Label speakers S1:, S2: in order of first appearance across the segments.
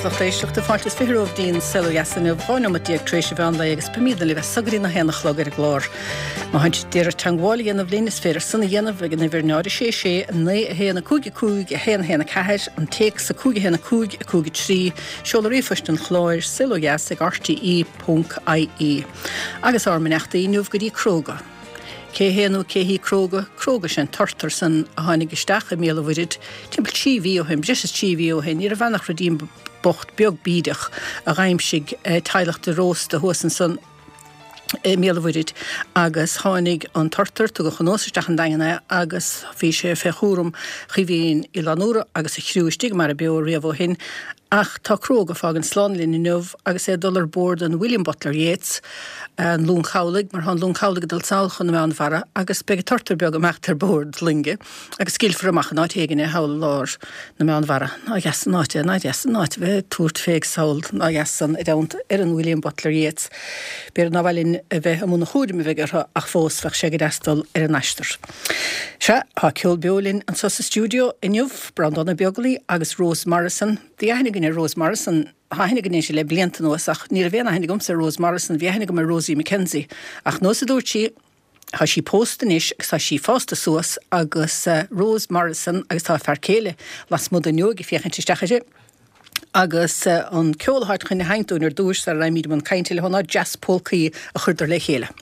S1: a lucht éisteachta. Fáilte is 20 romhaibh go dtí'n Saol Ó Dheas inniu, 12 neomat tar éis an mheán lae agus beimidne libh as so go dtí na haon a chlog ar an gclár. Má tánn sibh d'iarraidh teangmháil a dhéanamh linn, is féidir san a dhéanamh ag an uimhir 0 6 6 9 1 5 5 1 1 4, an téacs 5 1 5 5 3, seoladh ríomhphoist an chláir, saolodheas ag rte ponc ie. Agus ár mbeannachtaí inniu go dtí Cróga. Cé hé nó cé hí Cróga? Cróga, sé an turtar san a tháinig isteach i mBéal an Mhuirthead timpeall 3 mhí ó shin, breis is 3 mhí ó shin. Ní raibh ann ach ruidín bocht beag bídeach a dh'aimsigh teaghlach de Róiste thuas ansan i mBéal an Mhuirthead agus tháinig an turtar, tugadh anuas isteach an Daingean é agus bhí sé fé chúram Chaoimhín Uí Fhlannúra agus a chriú istigh i mBarra Beo riamh ó shin. Ach tá Cróga ag fágaint slán linn inniu agus é ag dul ar bord an William Butler Yeats, an long chabhlaigh, mar tá an long chabhlaigh ag dul sall chun na Meánmhara agus beidh an turtar beag ag imeacht ar bord loinge agus scaoilfear amach in áit éigin é thall i lár na Meánmhara. Ná deas an áit é, ná deas an áit a bheith ag tabhairt fé sall, ná deas san i dteannta ar an William Butler Yeats. B'fhéidir nár mhaith linn a bheith i mbun an chúraim a bheidh orthu ach fós bheadh sé go deas dul ar an aistear. Sea, tá ceol beo linn anseo sa stiúideo inniu, Breandán Ó Beaglaoi agus Rose Morrison. Bhí aithne againn ar Rose Morrison, tá aithne againn uirthi le blianta anuas ach ní raibh aon aithne agamsa ar Rose Morrison, bhí aithne agam ar Rosie McKenzie. Ach nós a dúirt sí, tá sí pósta anois agus tá sí fásta suas agus Rose Morrison agus tá a fear céile lasmuigh den fhuinneog ag féachaint isteach uirthi. Agus an ceol atá chun a sheinnt dúinn ar dtúis sara raghaimid i mbun cainte leo ná Jazz Polcaí a chuireadar le chéile.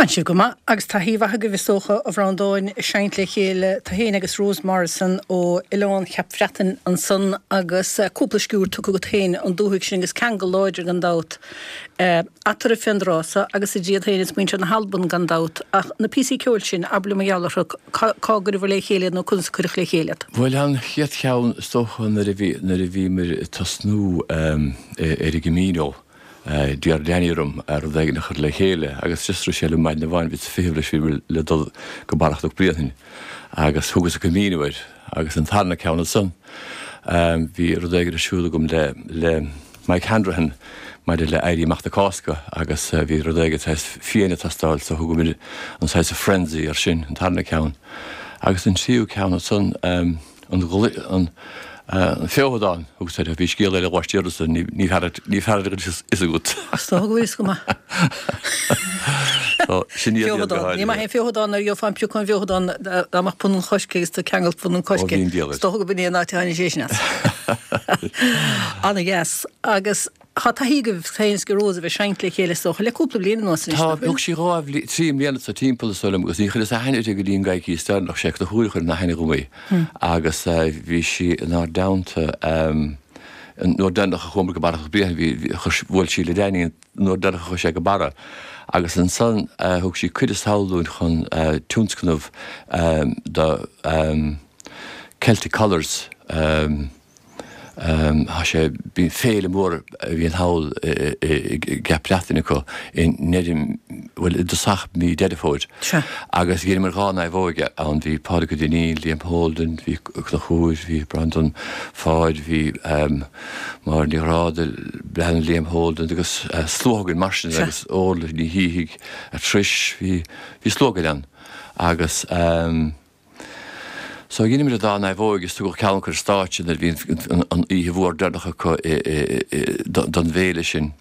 S1: Tánn sibh go maith agus taithí mhaith agaibh is dócha, a Bhreandáin, ag seinnt le chéile, tú féin agus Rose Morrison ó Oileán Cheap Bhreatainn ansan agus cúpla sciúrd tugtha agat féin an dúthaigh sin agus ceangal láidir gan dabht eatarthu fén dtráth so agus idir iad féin is muintir na hAlban gan dabht. Ach na píosaí ceoil sin, abair liom mar gheall orthu, cá gcuireabhair le chéile iad nó conas a cuireadh le chéile iad?
S2: Bhuel an chéad cheann is dócha nuair a bhí, nuair a bhíomar ag tosnú ar an gCamino, D'iarr Danny orm rud éigin a chur le chéile agus just rith sé liom maidin amháin, bhíos ag feitheamh leis, bhíomar le dul go Barra Chnoc Bréanainn agus thugas an Camino air agus an tarna ceann ansan bhí rud éigin ar siúl agam le le Mike Hanrahan maidir le Éirí Amach na Cásca agus bhí rud éigin saghas fiáin ag teastáil so thugamar an saghas Frenzy air sin, an tarna ceann. Agus an tríú ceann ansan, An Feothadán, thugas air, bhí scéal eile laistiar de san, ní fearr ní fearr a fhios agat.
S1: Is dócha go bhfuil fhios go maith.
S2: Sin iad iad go
S1: háirithe. Ní maith é an feothadán nuair a gheofá an pioc ón bhfeothadán dá mbeadh punann choirce agus tú ag ceangailt punann coirce. Is dócha go b'in é an áit a tháinig sé sin as. Ana-dheas. Agus Tá taithí agaibh féin is ag Rose a bheith ag seinnt le chéile is dócha le cúpla bliain anuas
S2: anois, nach bhfuil? Tá, thug sí dhá bhliain, trí mbliana sa timpeall is dóigh liom agus ní chuireas aithne uirthi go dtí an gcoicíos deireanach, sé Conchúr a chuir in aithne dhom í agus bhí sí inár dteannta an uair deireanach a chuamar go Barra Chnoc Bréanainn, bhí, bhuail sí le Danny an uair deireanach a chuaigh sé go Barra agus ansan thug sí cuireadh sall dúinn chun tionscnamh do Celtic Colours. Tá sé, bíonn féile mór a bhíonn thall i gCeap Breatainn acu i ndeireadh, bhuel i dtosach mí Deireadh Fómhair.
S1: Sea.
S2: Agus dheineamar dhá naomhóige ann, bhí Pádraig Ó Duinnín, Liam Holden, bhí Conchúr, bhí Breandán Pháid, bhí Máire Ní Ghráda, bean Liam Holden agus slua againn mar sin agus Orla Ní Shíthigh, Trish, bhí, bhí slua againn ann agus. So dheineamar an dá naomhóig is tugadh ceann acu ar stáitse nuair a bhí an oíche mhór deireanach acu don bhféile sin.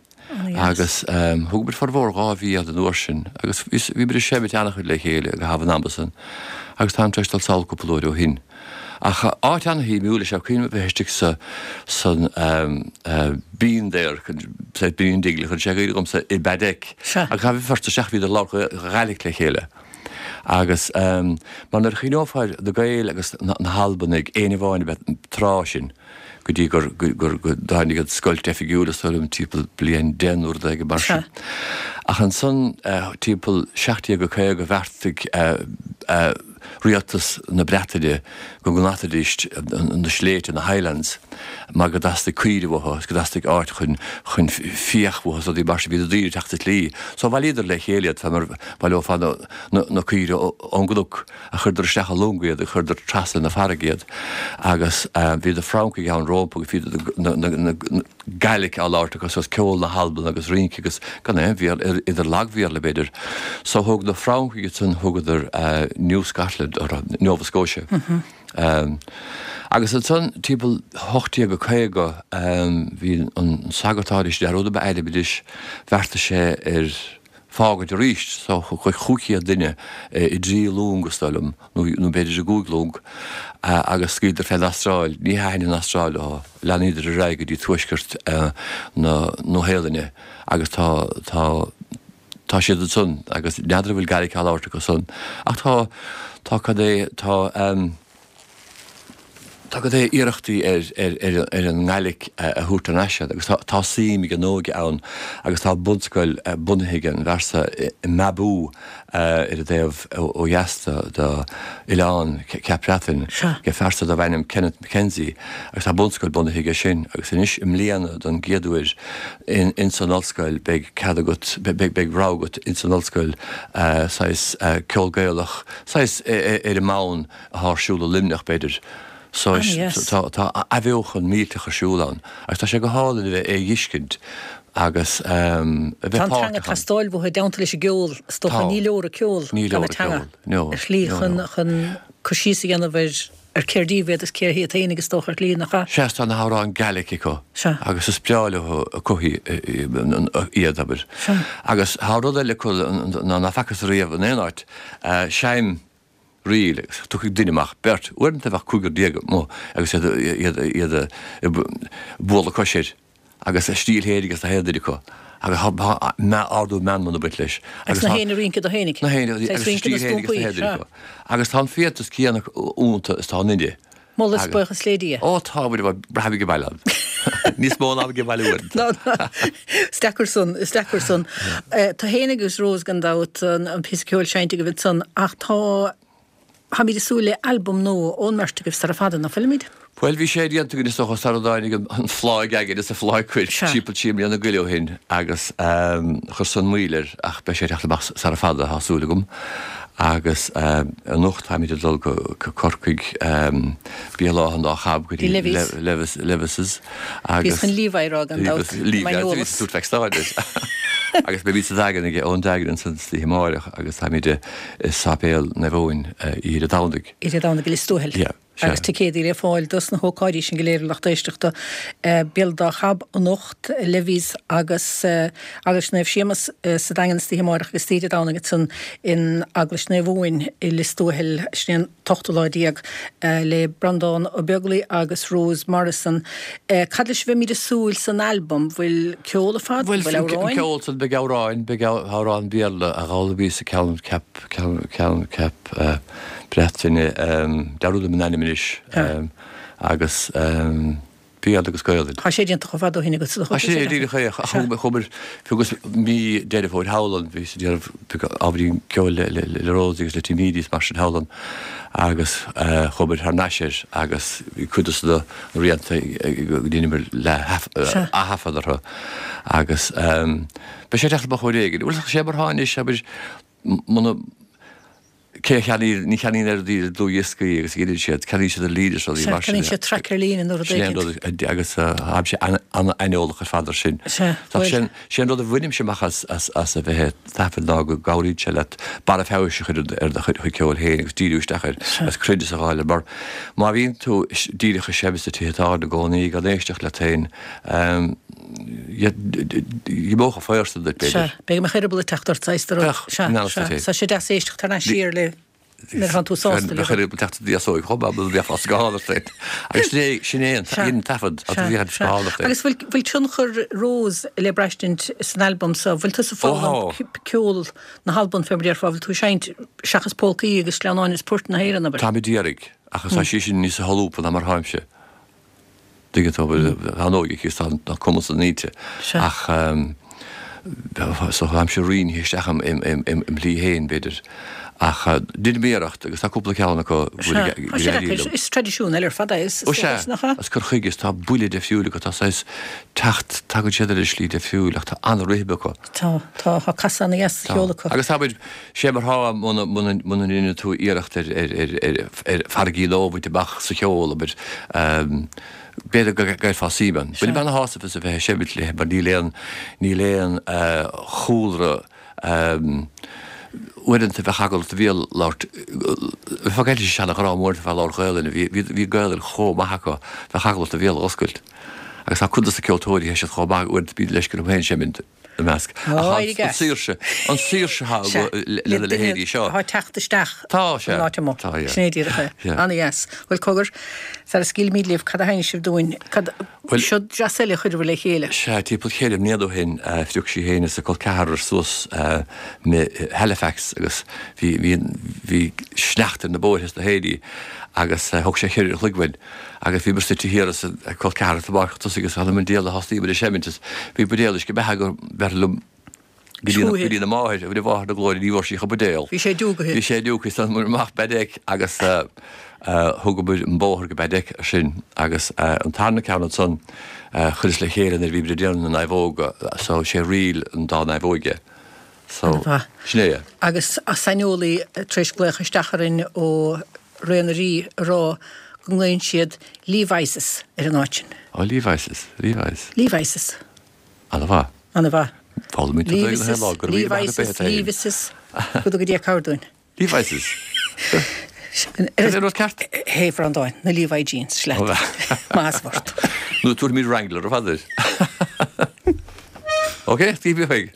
S2: Agus thugamar formhór dhá mhí ann an uair sin agus bhíomar ag seimint an-chuid le chéile i gcaitheamh an ama san agus táim tar éis dul sall cúpla uair ó shin. Ach áit an-shuimiúil is ea cuimhin liom a bheith istigh sa san bean there, bean Dingle, chuir sé i gcuimhne dhomsa i Baddeck agus chaithfí first isteach bhíodar ag labhairt Ghaelic le chéile. Agus mar nuair a chuimhneofá ar na Gaeil agus na hAlbanaigh, éinne amháin ab ea an tráth sin, go dtí gur go dtáinig an scoilt oifigiúil is dóigh liom timpeall bliain 10 nó rud éigin mar sin. Ach ansan timpeall 1750 bheartaigh rialtas na Breataine go ngnataidís na sléibhte, na Highlands, mar go dteastaigh caoirigh uathu agus go dteastaigh áit chun chun fiach uathu is rudaí mar sin. Bhí na daoine ag teacht sa tslí. So bhailíodar le chéile iad fé mar bhaileofá na na caoirigh ón gcnoc a chuireadar isteach i longa iad, a chuireadar trasna na farraige iad. Agus bhí na Francaigh ann rompu agus bhí na na na Gaelic á labhairt acu so ceol na hAlban agus rince agus gan aon Bhéarla, idir lag-Bhéarla b'fhéidir. So thug na Francaigh ansan thugadar New Scotland orthu, Nova Scotia. Agus ansan timpeall 1850 bhí an sagart áirithe, dearúd a ainm anois, bheartaigh sé ar fágaint arís so chuir 500 duine i dtrí long is dóigh liom, nó b'fhéidir i gcúig long, agus scaoileadar fén Astráil. Ní thaitin an Astráil leo, leanaíodar ar aghaidh go dtí tuaisceart na Nua-Shéalainne agus tá, tá, tá siad ansan agus n'fheadar an bhfuil Gaelic á labhairt acu san ach tá, tá cad é, tá. Tá cad é iarrachtaí ar ar an nGaelic a thabhairt thar n-ais agus tá suim ag an óige ann agus tá bunscoil bunaithe ag an bhfear so i Mabou ar an dtaobh ó dheas d'oileán Cheap Breatainn ag fear so darb ainm Kenneth McKenzie agus tá bunscoil bunaithe aige sin agus anois i mbliana don gcéad uair ins an ollscoil beidh cead agat beidh rogha agat ins an ollscoil saghas ceol Gaelach saghas ar an mbonn atá ar siúl i Luimneach, b'fhéidir. So tá tá athbheochan millteach ar siúl ann agus tá sé go hálainn a bheith é a dh'fheiscint agus a bheith
S1: Tá an teanga ag teastáil uathu i dteannta leis an gceol, is dócha. Ní leor an ceol gan an teanga ar shlí chun chun cur síos a dhéanamh ar ar cér díobh iad is cé hiad féinig is dócha ar shlí, nach ea?
S2: Sea, tá na hamhráin Gaelic acu agus is breá leo acu iad, abair. Agus tá rud eile acu ná ná facthas riamh in aon áit, seinm ríl agus tiocfaidh duine amach, beirt, uaireanta bheadh cúigear déag amuigh agus iad iad iad ag bualadh cois air. Agus a stíl fhéinig agus na haon duine acu. Agus tá ardú meanman ag baint leis.
S1: Agus na haon rince do fhéinig.
S2: Na haon agus a stíl fhéinig agus na haon duine acu. Agus tá an fiántas céanna iontu is tá inne.
S1: Moladh is buíochas le Dia.
S2: Ó tá muid ag brath ag baile ann. Níos mó ná ag baile uainn.
S1: Ná, ná. Is deacair san, is deacair san. Tú fhéin agus Rose gan dabht, an píosa ceoil seinnte agaibh ansan, ach tá, táimid ag súil le albam nua ón mbeirt agaibh sara fada, ná fuilimid?
S2: Bhuel, bhí sé déanta againn is dócha sara dtáinig an phláigh againn is an phláigh cuirc timpeall trí mbliana go leith ó shin agus chuir san moill air ach beidh sé ag teacht amach sara fada, tá súil agam. Agus anocht táimid ag dul go Corcaigh, Béal Átha an Dá Chab go
S1: dtí
S2: Levis, Levis's
S1: agus. Bhíos chun Levi a rá gan dabht,
S2: m'aineolas. Agus beimid sa Daingean ag Eoin Daigean ansan san oíche amáireach agus táimid i Sáipéal Naomh Eoin oíche Dé Domhnaigh.
S1: Oíche Dé Domhnaigh i Lios Tuathail.
S2: Yeah.
S1: Sea. Agus ticéadaí le fáil dos na hócáidí sin go léir a lucht éisteachta. Béal Dá Chab anocht, Levis agus Eaglais Naomh Séamus sa Daingean istoíche amáireach agus istoíche Dé Domhnaigh ansan in Eaglais Naomh Eoin i Lios Tuathail, sin é an t-ochtú lá déag, le Breandán Ó Beaglaoi agus Rose Morrison. Cad leis a bheimid ag súil san albam? Bhfuil ceol ar fad?
S2: Bhfuil
S1: amhráin?
S2: Bhuel, ceol san, beidh amhráin, beidh amhrán Béarla a d'fhoghlaimíos sa ceann ceap, ceann, ceann ceap. Breataine, dearúdaim an ainm anois, agus Béarla agus Gaelainn.
S1: Tá sé déanta chomh fada ó shin agat
S2: sa Tá sé díreach é, ach chuamar, fiú agus mí Deireadh Fómhair thall ann, bhíos ag déanamh ábhairín ceoil le Rosie agus le Tim Edey is mar sin thall ann agus chuamar thar n-ais air agus bhí cuid de na rianta go ndeineamar le ath-thaifead orthu agus beidh sé ag teacht amach uair éigin. Bhuel, sé mar atá anois, abair, muna, cé a cheannaíonn, ní cheannaíonn oiread daoine dlúthdhioscaí agus a dheineann siad, ceannaíonn siad ar líne is rudaí
S1: mar sin. Ceannaíonn siad traic ar líne nó rud
S2: éicint. Sin é an rud agus táimse an-aineolach ar fad ar sin.
S1: Sea, bhuel.
S2: Sé an rud a bhainimse amach as as a bheith ag taifead ná go gcabhraíonn sé leat barra feabhais a chur ar do chuid ceoil féin agus díriú isteach air agus cruinneas a fháil air mar má bhíonn tú díreach ag seinm sna tithe tábhairne i gcónaí gan éisteacht leat féin, Dh'imeodh an faobhar san duit,
S1: b'fhéidir. Sea, beidh mo eireaball ag teacht ort, saghas de rud. Sea, sea, tá sé deas éisteacht thar n-ais siar le nuair atánn tú sásta
S2: le. Bheadh eireaball ag teacht ort deasóig chomh maith, mura mbeifeá scáthán ort féin. Agus sin é, sin é an taifead, a bhí ar scáthán ort
S1: féin. Agus bhfuil, bhfuil tionchar Rose le braistint san albam so? Bhfuil tusa ag foghlaim ceol na hAlban fé mar a déarfá, bhfuil tú ag seinnt seachas polcaí agus sleamhnáin is poirt na hÉireann,
S2: abair? Táim ag iarraidh, ach tá sí sin níos solúbtha ná mar tháimse. Tuigeann tú, tá an óige aici is tá an cumas san inti. Ach so táimse roinnithe isteach im shlí féin, b'fhéidir. Ach deinim iarracht agus tá cúpla ceann acu go
S1: bhfuil ag éirí liom. Is traidisiún eile ar fad é, is
S2: Ó sea, is cur chuige, is tá buille deifriúil acu, tá saghas teacht, tagann siad ar an slí deifriúil ach tá an-rithim acu.
S1: Tá, tá, tá casadh ana-dheas sa cheol
S2: acu. Agus abair, sé mar thá muna, muna, muna ndeineann tú iarracht ar, ar, ar, ar, ar farraigí nua a bhaint amach sa cheol, abair, b'fhéidir go gcaillfeá suim ann. Bainim ana-shásamh as a bheith ag seimint léi mar níl aon, níl aon chúlra, uaireanta bheadh eagla ort do bhéal labhairt, bheifeá ag caint seana-ghrá uaireanta bheifeá ag labhairt Gaelainne, bhí, bhí, bhí Gaelainn chomh maith acu, bheadh eagla ort do bhéal a oscailt. Agus tá cuid dos na ceoltóirí, tá siad chomh maith uaireanta bíonn leisce orm féin seimint. ina measc.
S1: Ach an
S2: saoirse, an saoirse atá lena leithéidí seo.
S1: Tá teacht isteach an áit amuigh.
S2: Tá,
S1: Sin é díreach é. Ana-dheas. Bhuel, cogar, sara scaoilfimid libh, cad a sheinneas sibh dúinn? Cad, seod deas eile a chuireabhair le chéile?
S2: Sea, timpeall cheithre mbliana ó shin, phrioc sí féin is a col ceathrar suas i Halifax agus bhí, bhí, bhí sneachta ar na bóithre is na héirí agus thóg sé cheithre uair an chloig uainn. Agus bhí muid suite thiar is a col ceathrar sa bpáirc chun tosaigh agus th'anam 'on diabhal a thosnaigh muid ag seimint is bhí buidéal uisce beatha go mbéarfainn liom go dtí go dtí na máthair, a mháthair na glóire ní bhfuair sí ach an buidéal.
S1: Bhí sé diúgaithe.
S2: Bhí sé diúgaithe is tháinig amach Baddeck agus thugamar an bóthar go Baddeck ansin agus an tarna ceann ansan chuireas le chéile nuair a bhí muid ag déanamh na naomhóga so sé ríl an dá naomhóige. So, sin é.
S1: Agus saineolaí tar éis glaoch isteach orainn ó Ré na Rí a rá go nglaonn siad Levi's ar an áit sin.
S2: Ó, Levi's,
S1: Levi's. Levi's.
S2: Ana-mhaith.
S1: Ana-mhaith.
S2: Foghlaimíonn tú Gaeilge gach lá, go raibh míle maith
S1: agat Levi's, Go dtuga Dia cabhair dúinn.
S2: Levi's. Sin é an rud ceart.
S1: Hé, Bhreandáin, na Levi jeans, sleat. Maith as ort.
S2: Nó tabharfaimid Wrangler ar fad air. Ok, Stevie chuig.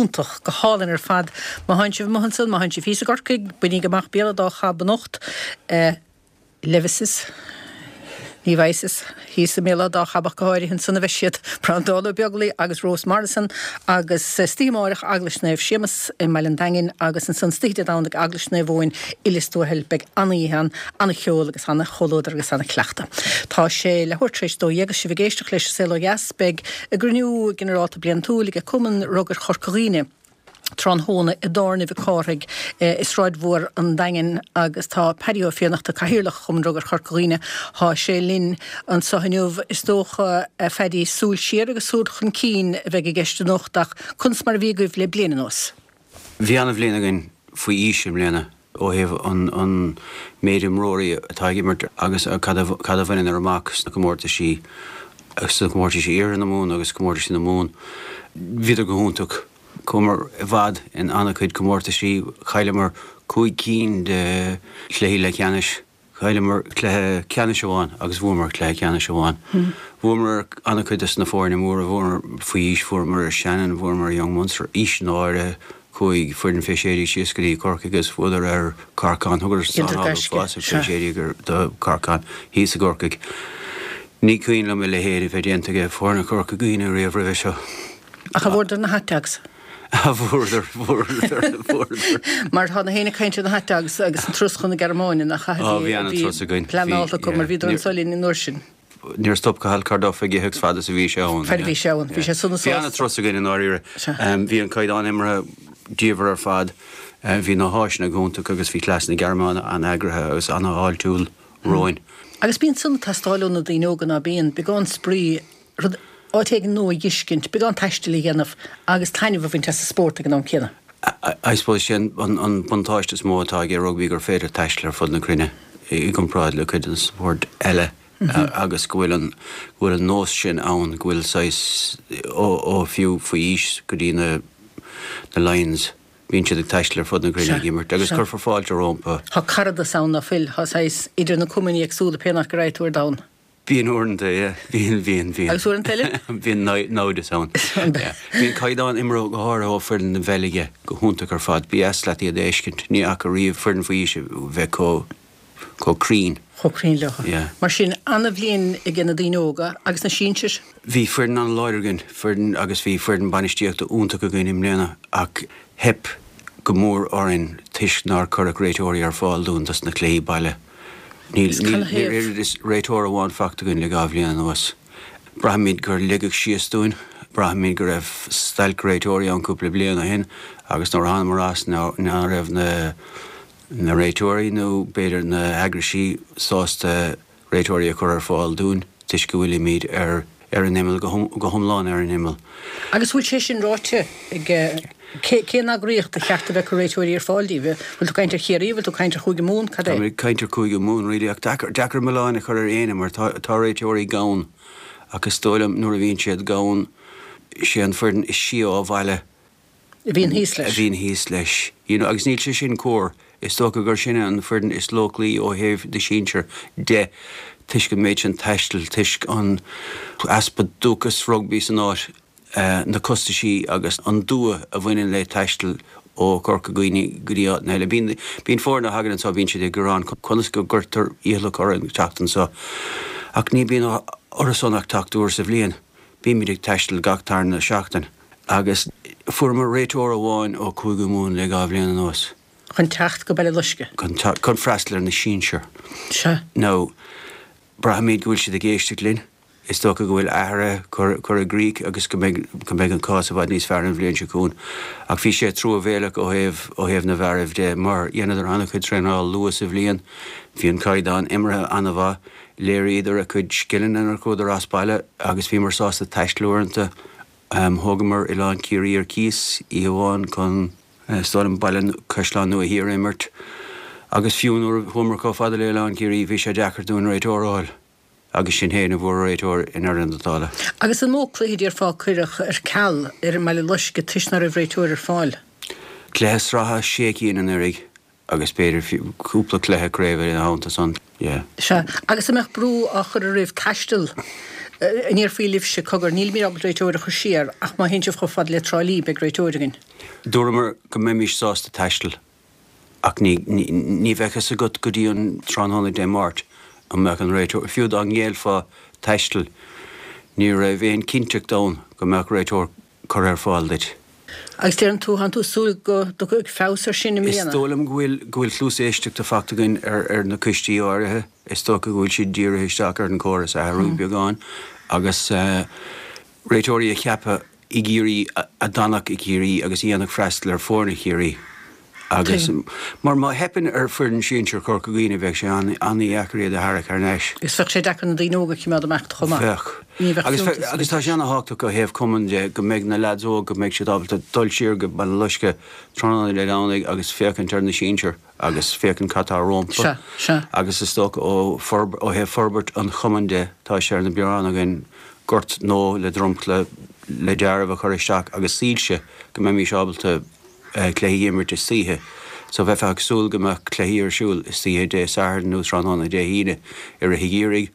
S1: hiontach, go hálainn ar fad. Má thánn sibh amuigh ansan, má thánn sibh thíos i gCorcaigh, bainíg amach Béal an Dá Chab anocht. Levis's, Levi's, thíos i mBéal an Dá Chab ach go háirithe, ansan a bheidh siad, Breandán Ó Beaglaoi agus Rose Morrison agus istoíche amáireach Eaglais Naomh Séamus i mBaile an Daingin agus ansan istoíche Dé Domhnaigh Eaglais Naomh Eoin i Lios Tuathail. Beidh an-oíche ann, an-cheol agus an-chomhluadar agus an-chleachtadh. Tá sé leathuair tar éis a 12 agus sibh ag éisteacht leis An Saol Ó Dheas. Beidh a gcruinniú ginearálta bliantúil ag Cumann Rugair Chorca Dhuibhne. tráthnóna i dTábhairne Mhic Cárthaigh i Sráid Mhór an Daingin agus tá Paddy Ó Fiannachta, Cathaoirleach Chumann Rugair Chorca Dhuibhne, thá sé linn anso inniu. Is dócha, a Phaddy, súil siar agus súil chun cinn a bheidh i gceist anocht ach conas mar a bhí agaibh le bliain anuas?
S3: Bhí an-bhliain againn faoi aois i mbliana ó thaobh an méid imreoirí atá ag imirt agus cad a bhaineadar amach sna comórtaisí, sna comórtaisí Iarthar na Mumhan agus comórtaisí na Mumhan. Bhíodar go hiontach. Chuamar i bhfad in an-chuid comórtaisí. Chailleamar 5 cinn de chluichí leathcheannais. Chailleamar cluiche ceannais amháin agus bhuamar cluiche ceannais amháin. Bhuamar ar an-chuid des na foirne móra, bhuamar faoi aois, bhuamar ar Shannon, bhuamar ar Young Munster, aois áirithe, chuaigh foireann fé 16 síos go dtí Corcaigh agus bhuadar ar Corcán, thugadar sáineáil uafásach fé 16 do Corcán thíos i gCorcaigh. Ní cuimhin liom a leithéid a bheith déanta ag foirne Chorca Dhuibhne riamh roimhe seo.
S1: Ach a bhfuaireadar na hot dogs?
S3: A bhfuaireadar, bhfuaireadar, bhfuaireadar.
S1: Mar tá gach éinne ag caint ar na hot dogs agus an turas chun na Gearmáine, nach ea?
S3: Ó, bhí an-turas againn.
S1: Pleanáilte acu mar bhíodar anso linn an uair sin.
S3: Níor stop Cathal Carduff ag ithe agus fad is a bhí sé ann.
S1: Fad a bhí sé ann. Bhí sé sona
S3: sásta. Bhí an-turas againn i ndáiríre. Bhí an caighdeán imeartha diamhair ar fad. Bhí na háiseanna go hiontach agus bhí cleas na Gearmáine an-eagraithe agus an-fháiltiúil romhainn.
S1: Agus bíonn san ag teastáil ó na daoine óga ná bíonn? Beagán spraoi, rud, áit éigin nua a dh'fheiscint, beagán taistil a dhéanamh agus taitneamh a bhaint as an spórt ag an am céanna.
S3: I suppose sé an buntáiste is mó atá aige rugbaí gur féidir taisteal ar fud na cruinne i gcomparáid le cuid de na spóirt eile agus go bhfuil an, go bhfuil an nós sin ann, go bhfuil saghas, ó, ó fiú faoi aois go dtí na, na Lions, bíonn siad ag taisteal ar fud na cruinne ag imirt agus cuirfear fáilte rompu.
S1: Tá caradas ann ná fuil, tá saghas idir na cumainn éagsúla pé áit go raghaidh tú ar domhan.
S3: Bíonn uaireanta, yeah. Bíonn, bíonn, bíonn.
S1: Agus uaireanta eile?
S3: Bíonn naimhdeas ann. Yeah. Bíonn caighdeán imeartha, go háirithe ó foireann na Beilge, go hiontach ar fad. Ba dheas leat iad a fheiscint. Ní fhaca riamh foireann faoi aois a bheith chomh, chomh cruinn.
S1: Chomh cruinn leo.
S3: Yeah.
S1: Mar sin, ana-bhliain aige na daoine óga agus na sinsir.
S3: Bhí foireann an-láidir againn, foireann, agus bhí foireann bainistíochta iontach againn i mbliana ach theip go mór orainn toisc nár cuireadh réiteoirí ar fáil dúinn dos na cluichí baile. Níl oiread is réiteoir amháin faighte againn le 2 bhliain anuas. Braithimid gur ligeadh síos dúinn. Braithimid go raibh stailc réiteoirí ann cúpla bliain ó shin agus nuair a thánamar as ná raibh na réiteoirí nó b'fhéidir na heagraisí sásta réiteoirí a chur ar fáil dúinn toisc go bhfuilimid ar ar an imeall, go hiomlán ar an imeall.
S1: Agus bhfuil sé sin ráite ag, cén eagraíocht ba cheart a bheith ag cur réiteoirí ar fáil díbh? Bhfuil tú ag caint ar Chiarraí, bhfuil tú ag caint ar Chúige Mumhan, cad é?
S3: Tá mé ag caint ar Chúige Mumhan really ach deacair, deacair milleán a chur ar éinne mar tá, tá réiteoirí gann ach is dóigh liom nuair a bhíonn siad gann, sé an foireann is sia ó bhaile
S1: A bhíonn thíos leis.
S3: A bhíonn thíos leis. You know, agus níl sé sin cóir. Is dócha gur sinne an foireann is lóclaí ó thaobh na sinsear de, toisc an méid sin taistil, toisc an easpa dúchas rugbaí san áit, na costaisí agus an dua a bhaineann le taisteal ó Chorca Dhuibhne go dtí áiteanna eile. Bíonn, bíonn foirne a thagann anseo, bíonn siad ag gearán conas go gcuirtear iallach orainn teacht anseo. Ach ní bíonn orthusan ach teacht uair sa bhliain. Bímid ag taisteal gach tarna seachtain. Agus fuaireamar réiteoir amháin ó Chúige Mumhan le 2 bhliain anuas.
S1: Chun teacht go Baile Loisce.
S3: Chun teacht, chun freastal ar na sinsir.
S1: Sea.
S3: Now, braithimid go bhfuil siad ag éisteacht linn. Is dócha go bhfuil athruithe curtha i gcrích agus go mbeidh, go mbeidh an cás i bhfad níos fearr an bhliain seo chugainn. Ach bhí sé truamhéalach ó thaobh, ó thaobh na bhfearaibh de mar dheineadar an-chuid traenáil luath sa bhliain. Bhí an caighdeán imeartha an-mhaith. Léiríodar a gcuid scileanna nuair a chuadar as baile agus bhíomar sásta taisteal uaireanta. Thógamar Oileán Ciarraí ar cíos oíche amháin chun, is dóigh liom, Baile Caisleán Nua Thiar a imirt agus fiú nuair a chuamar chomh fada le Oileán Ciarraí bhí sé deacair dúinn réiteoir a fháil agus sinn féin a fuair réiteoir i ndeireadh na dála.
S1: Agus an mó cluiche déarfá a cuireadh ar ceal ar i mBaile Loisce toisc ná raibh réiteoir ar fáil?
S3: Cluiche sraithe sé cinn anuraidh Agus b'fhéidir fiú cúpla cluiche craoibhe ina theannta san, yeah.
S1: Sea. Agus an mbeadh brú á chur oraibh taisteal? An ndéarfaí libhse, cogar, nílimid ábalta réiteoir a chur siar ach má théann sibh chomh fada le Trá Lí, beidh réiteoir againn.
S3: Dúramar go mbeimis sásta taisteal ach ní ní bheadh fhios agat go dtí an tráthnóna Dé Máirt an mbeadh an réiteoir, fiú dá ngéillfeá taisteal, ní raibh aon cinnteacht ann go mbeadh réiteoir curtha ar fáil duit.
S1: Agus deireann tú, tánn tú ag súil go dtiocfaidh feabhas ar sin i
S3: mbliana? Is dóigh liom go bhfuil go bhfuil cluas éisteachta faighte againn ar ar na coistí áirithe. Is dócha go bhfuil siad dírithe isteach ar an chóras a athrú beagán agus réiteoirí a cheapadh i gCiarraí a d'fhanfadh i gCiarraí agus a dhéanfadh freastal ar foirne Chiarraí agus mar má theipeann ar foireann sinsir Chorca Dhuibhne bheadh sé an-dheacair iad a tharrac thar n-ais.
S1: Agus bheadh sé deacair na daoine óga a choimeád amach chomh maith.
S3: Bheadh. Ní bheadh Agus fiúntas agus tá sé ana-thábhachtach ó thaobh cumann de go mbeidh na leaids óg go mbeidh siad ábalta dul siar go Baile Loiscthe tráthnóna Dé Domhnaigh agus féachaint ar na sinsir agus féachaint cad tá rompu.
S1: Sea, sea.
S3: Agus is dócha ó ó thaobh forbairt an chumainn de, tá sé ar na bioráin againn gort nua le dromchla le deáramh a chur isteach agus soilse go mbeimis ábalta cluichí a imirt istoíche. So bheifeá ag súil go mbeadh cluichí ar siúl istoíche Dé Sathairn nó tráthnóna Dé hAoine i rith an gheimhridh.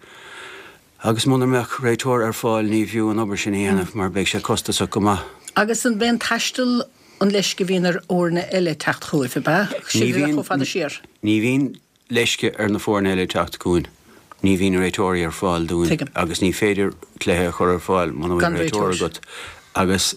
S3: Agus muna mbeadh réiteoir ar fáil ní bhfiú an obair sin a dhéanamh mar beidh sé costasach go maith.
S1: Agus an b'é an taisteal an leisce a bhíonn ar fhoirne eile teacht chugaibh, ab ea?
S3: Ní bhíonn, chomh fada siar. Ní bhíonn leisce ar na foirne eile teacht chugainn. Ní bhíonn réiteoirí ar fáil dúinn Tuigim. agus ní féidir cluiche a chur ar fáil muna bhfuil réiteoir agat. Agus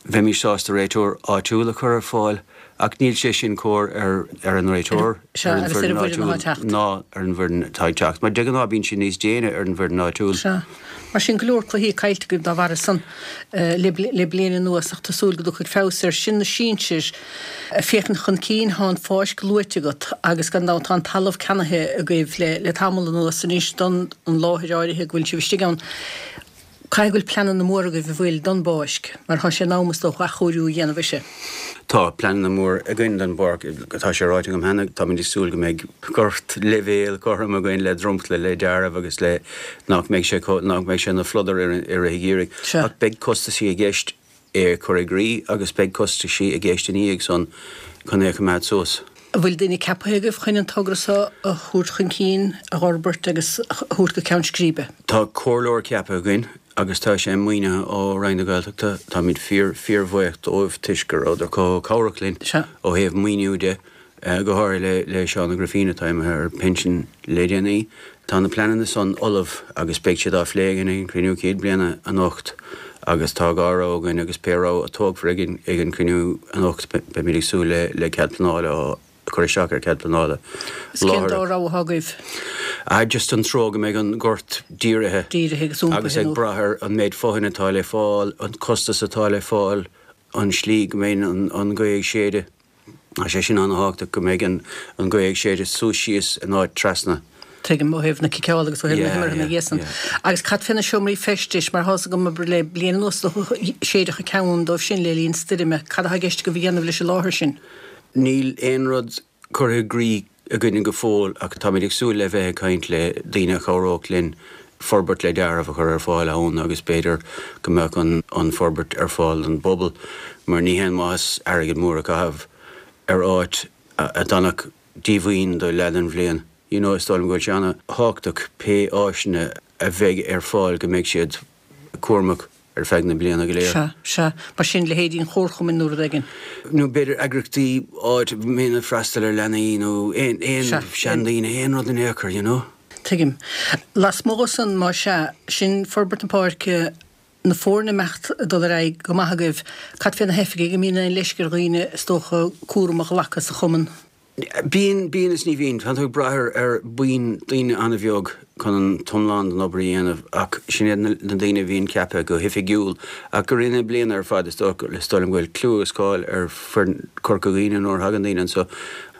S3: bheimis sásta réiteoir áitiúil a chur ar fáil ach níl sé sin cóir ar ar an réiteoir,
S1: ar an
S3: bhfoireann áitiúil ná ar an bhfoireann atá ag teacht. Mar de ghnáth bíonn sé níos déine ar an bhfoireann áitiúil.
S1: Sea. Mar sin, go leor cluichí caillte agaibh dá bharra san le bliain anuas ach tá súil go dtiocfaidh feabhas air. Sin na sinsir. Ag féachaint chun cinn, tá an pháirc luaite agat agus gan dabht tá an talamh ceannaithe agaibh le tamall anuas anois don an láthair áirithe go bhfuil sibh istigh ann. Caithfidh go bhfuil pleananna móra agaibh an bhfuil don bpáirc mar tá sé in am is dócha athchóiriú a dhéanamh uirthi.
S3: Tá pleananna móra againn don bpáirc. Tá sé ráite agam cheana, táimid ag súil go mbeidh gort leibhéal cothrom againn le dromchla, le deáramh agus le nach mbeidh sé nach mbeidh sé ina phludar i rith an gheimhridh. Ach beidh costaisí i gceist é a chur i gcrích agus beidh costaisí i gceist ina dhiaidh san chun é a choimeád suas.
S1: An bhfuil daoine ceaptha agaibh chun an togra seo a thabhairt chun cinn, a fhorbairt agus a thabhairt go ceann scríbe?
S3: Tá comhairleoir ceaptha againn agus tá sé maoinithe ó Roinn na Gaeltachta. Táimid fíor, fíorbhuíoch dóibh toisc go rabhadar chomh cabhrach linn ó thaobh maoiniú de, go háirithe le Seán Ó Grifín atá imithe ar pinsean le déanaí. Tá na pleananna san ullamh agus beidh siad á phlé againn ag an chruinniú céad bliana anocht agus tá dhá rogha againn agus pé rogha a tógfar ag an chruinniú anocht beimid ag súil le cead pleanála a cur isteach ar cead pleanála
S1: Is cén dá rogha atá agaibh?
S3: Ah just an treo go mbeidh an gort dírithe.
S1: Dírithe agus iompaithe
S3: Agus ag brath ar an méid fothain atá le fáil, an costas atá le fáil, an slí go mbeidh an ghaoth ag séideadh. Tá sé sin an-thábhachtach go mbeidh an ghaoth ag séideadh suas síos in áit trasna.
S1: Tuigim, ó thaobh na ciceála agus ó thaobh na himeartha ina dhiaidh san. Agus cad fé na seomraí feistis, mar tá's agam abair le bliain anuas do séideadh ceann dóibh sin le linn stoirme. Cad atá i gceist agaibh a dhéanamh leis an láthair sin?
S3: Níl aon rud curtha i gcrích againne go fóill ach táimid ag súil le bheith ag caint le daoine a chabhródh linn forbairt le deáramh a chur ar fáil ann agus b'fhéidir go mbeadh an forbairt ar fáil don bpobal mar ní haon mhaitheas airgead mór a chaitheamh ar áit a d'fhanfadh díomhaoin do leath den bhliain. You know, is dóigh liom go bhfuil sé ana-thábhachtach pé áiseanna a bheidh ar fáil go mbeidh siad cúramach ar feadh na bliana go léir.
S1: Sea, sea. Mar sin, leithéidí an chomharchumainn nó rud éigin.
S3: Nó b'fhéidir eagraíochtaí áit a mbíonn ag freastal ar leanaí nó aon, aon seandaoine, aon rud in aon chor, you know.
S1: Tuigim. Lasmuigh de san, más ea, sin forbairt na páirce, na foirne imeacht ag dul ar aghaidh go maith agaibh. Cad fé na hoifigigh, an mbíonn aon leisce ar dhaoine, is dócha, cúram a ghlacadh sa chumann?
S3: Bíonn, bíonn is ní bhíonn. Tá tú ag brath ar, ar buíon daoine an-bheag chun an t-iomlán den obair a dhéanamh ach sin iad na, na daoine a bhíonn ceaptha go hoifigiúil. Ach i rith na bliana ar fad is dócha, is dóigh liom go bhfuil clú agus cáil ar foireann Chorca Dhuibhne nuair a thagann daoine anso,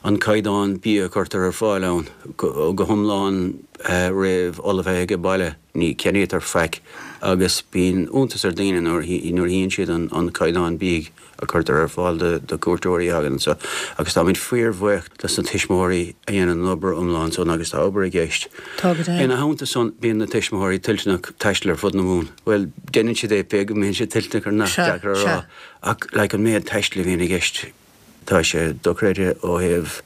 S3: an caighdeán bia a chuirtear ar fáil ann, go, go hiomlán réamh-ullmhaithe age baile, ní cheannaítear faic agus bíonn iontas ar daoine nuair a, nuair a chíonn siad an, an caighdeán bídh. a cuirtear ar fáil do chuairteoirí a thagann anso agus táimid fíorbhuíoch dos na tuismitheoirí a dhéanann an obair iomlán san agus tá obair i gceist.
S1: Tá go deimhin.
S3: Ina theannta san bíonn na tuismitheoirí toilteanach taisteal ar fud na Mumhan. Bhuel, déanann siad é pé go mbíonn siad toilteanach or not, deacair a rá, ach like an méid taistil a bhíonn i gceist tá sé dochreidte ó thaobh.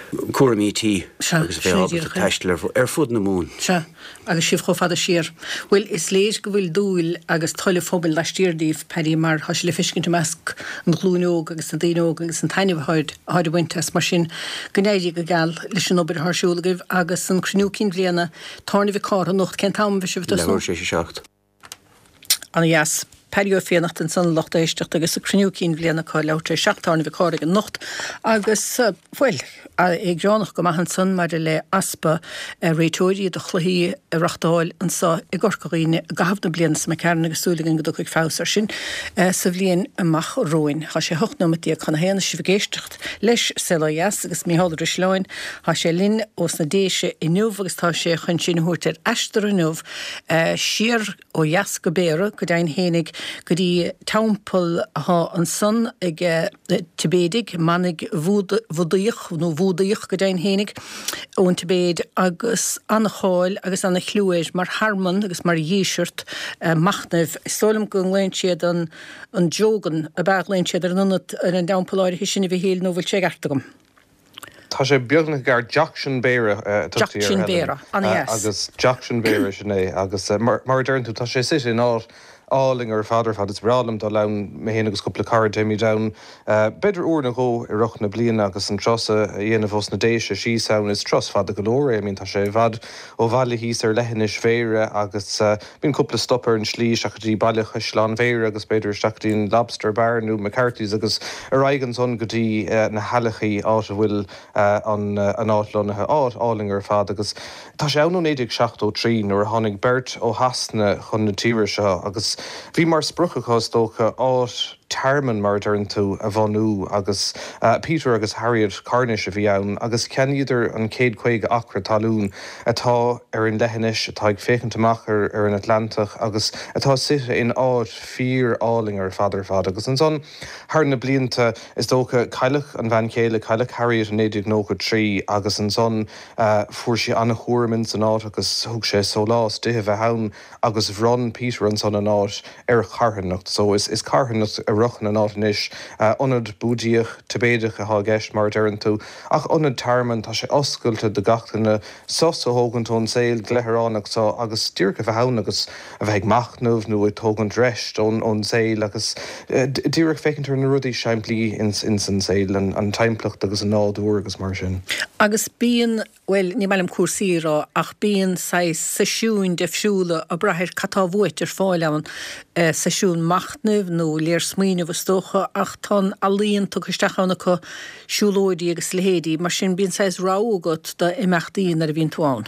S3: Cúraimí tí agus a bheith ábalta taisteal ar fud na Mumhan.
S1: Sea, agus sibh chomh fada siar. Bhuel, is léir go bhfuil dúil agus toil an phobail laistiar díbh, Paddy, mar tá sé le feiscint i measc an ghlúin óg agus na daoine óga agus an taitneamh atáid a bhaint as. Mar sin, go n-éirí go geal leis an obair atá ar siúl agaibh agus an cruinniú cinn bhliana, Tábhairne Mhic Cárthaigh anocht, cén t-am a bheidh sibh ag tosnú?
S3: Leathuair tar éis a 7.
S1: Ana-dheas. Paddy Ó Fiannachta ansan a lucht éisteachta agus an cruinniú cinn bhliana acu leathuair tar éis 7 Tábhairne Mhic Cárthaigh anocht agus, bhuel, é greannach go maith ansan maidir le easpa réiteoirí do chluichí a reachtáil anso i gCorca Dhuibhne i gcaitheamh na bliana seo imigh tharainn agus súil againn go dtiocfaidh feabhas ar sin sa bhliain amach romhainn. Tá sé 18 nóimeat chun a haon is sibh ag éisteacht leis Saol Ó Dheas agus Mícheál Ó Drisleáin. Tá sé linn ós na Déise inniu agus tá sé chun sinn a thabhairt ar aistear inniu siar ó dheas go Béarra, go deimhin fhéinig, go dtí teampall athá ansan ag Tibéidigh, manaigh Bhudaíoch, nó Bhúdaíoch go deimhin fhéinig, ón Tibéid, agus ana-cháil agus ana-chliú air mar thearmann agus mar dhíseart machnaimh. Is dóigh liom go nglaonn siad an an Jogan, ab ea a ghlaonn siad ar an ionad, ar an dteampall áirithe sin, a Mhichíl, nó bhfuil sé i gceart agam?
S4: Tá sé beagnach i gceart. Dzogchen Béarra a tugtaí air,
S1: Dzogchen Béarra,
S4: ana-dheas. Agus Dzogchen Béarra, sin é. Agus mar a deireann tú, tá sé suite in áit álainn ar fad ar fad. Is breá liom dul ann, mé féin agus cúpla cara, téimid ann b'fhéidir uair nó dhó i rith na bliana agus an turas a dhéanamh ós na Déise síos ann. Is turas fada go leor é, I mean tá sé i bhfad ó bhaile thíos ar leithinis Bhéarra agus bíonn cúpla stop ar an slí isteach go dtí baile Chaisleán Bhéarra agus b'fhéidir isteach go dtí an Lobster Bar nó McCarthy's agus ar aghaidh ansan go dtí na hAileachaí, áit a bhfuil an an áit lonnaithe. Áit álainn ar fad agus tá sé ann ó 1973 nuair a tháinig beirt ó Shasana chun na tíre seo agus bhí mar sprioc acu is dócha áit tearmainn, mar a deireann tú, a bhunú agus Peter agus Harriet Cornish a bhí ann agus cheannaíodar an chéad 50 acra talún atá ar an leithinis, atá ag féachaint amach ar ar an Atlantach agus atá suite in áit fíor álainn ar fad ar fad. Agus ansan thar na blianta, is dócha, cailleadh an bhean chéile, cailleadh Harriet in 1993 agus ansan fuair sí an-chúram ins an áit agus thug sé sólás di a bheith ann agus bhronn Peter ansan an áit ar charthanacht. So is is carthanacht a ritheann an áit anois. Ionad Búdaíoch, Tibéideach atá i gceist mar a deireann tú, ach ionad tearmainn, tá sé oscailte do gach duine sos a thógaint ón saol gleithireánach so agus díreach a bheith ann agus a bheith ag machnamh nó ag tógaint rest ón ón saol agus díreach féachaint ar na rudaí simplí ins ins an saol, an an timpeallacht agus an nádúr agus mar sin.
S1: Agus bíonn bhuel, ní maith liom cúrsaí a rá, ach bíonn saghas seisiúin difriúla, ag brath ar cad tá uait, ar fáil ann, seisiún machnaimh nó léirsmaoineamh is dócha, ach tá an ealaíon tugtha isteach ann acu, siúlóidí agus a leithéidí, mar sin bíonn saghas rogha agat d'imeachtaí nuair a bhíonn tú ann.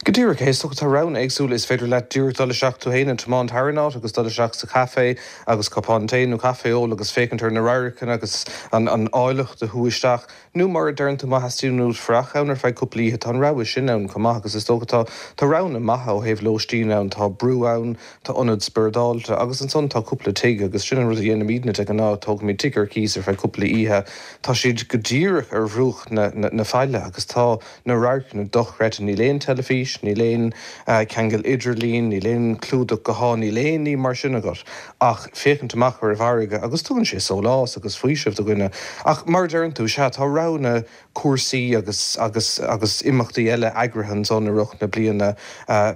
S4: Go díreach é, is dócha tá roghanna éagsúla, is féidir leat díreach dul isteach tú féin and tiomáint thar an áit agus dul isteach sa chaifé agus cupán tae nó caife a ól agus féachaint ar na radharcanna agus an áilleacht a shú isteach. Nó mar a deireann tú, má theastaíonn uait fanacht ann ar feadh cúpla oíche, tá an rogha sin ann chomh maith agus is dócha tá tá roghanna maithe ó thaobh lóistín ann, tá brú ann, tá ionad spioradálta agus ansan tá cúpla tigh agus sin an rud a dhéanaimidne de ghnáth, tógaimid tigh ar cíos ar feadh cúpla oíche. Tá siad go díreach ar bhruach na na faille agus tá na radharcanna dochreidte, níl aon teilifís, níl aon cheangal idirlín, níl aon chlúdach gutháin, níl aon ní mar sin agat ach féachaint amach ar an bhfarraige agus tugann sé sólás agus faoiseamh do dhuine. Ach mar a deireann tú, sea, tá roghanna cúrsaí agus agus agus imeachtaí eile eagraithe ansan i rith na bliana,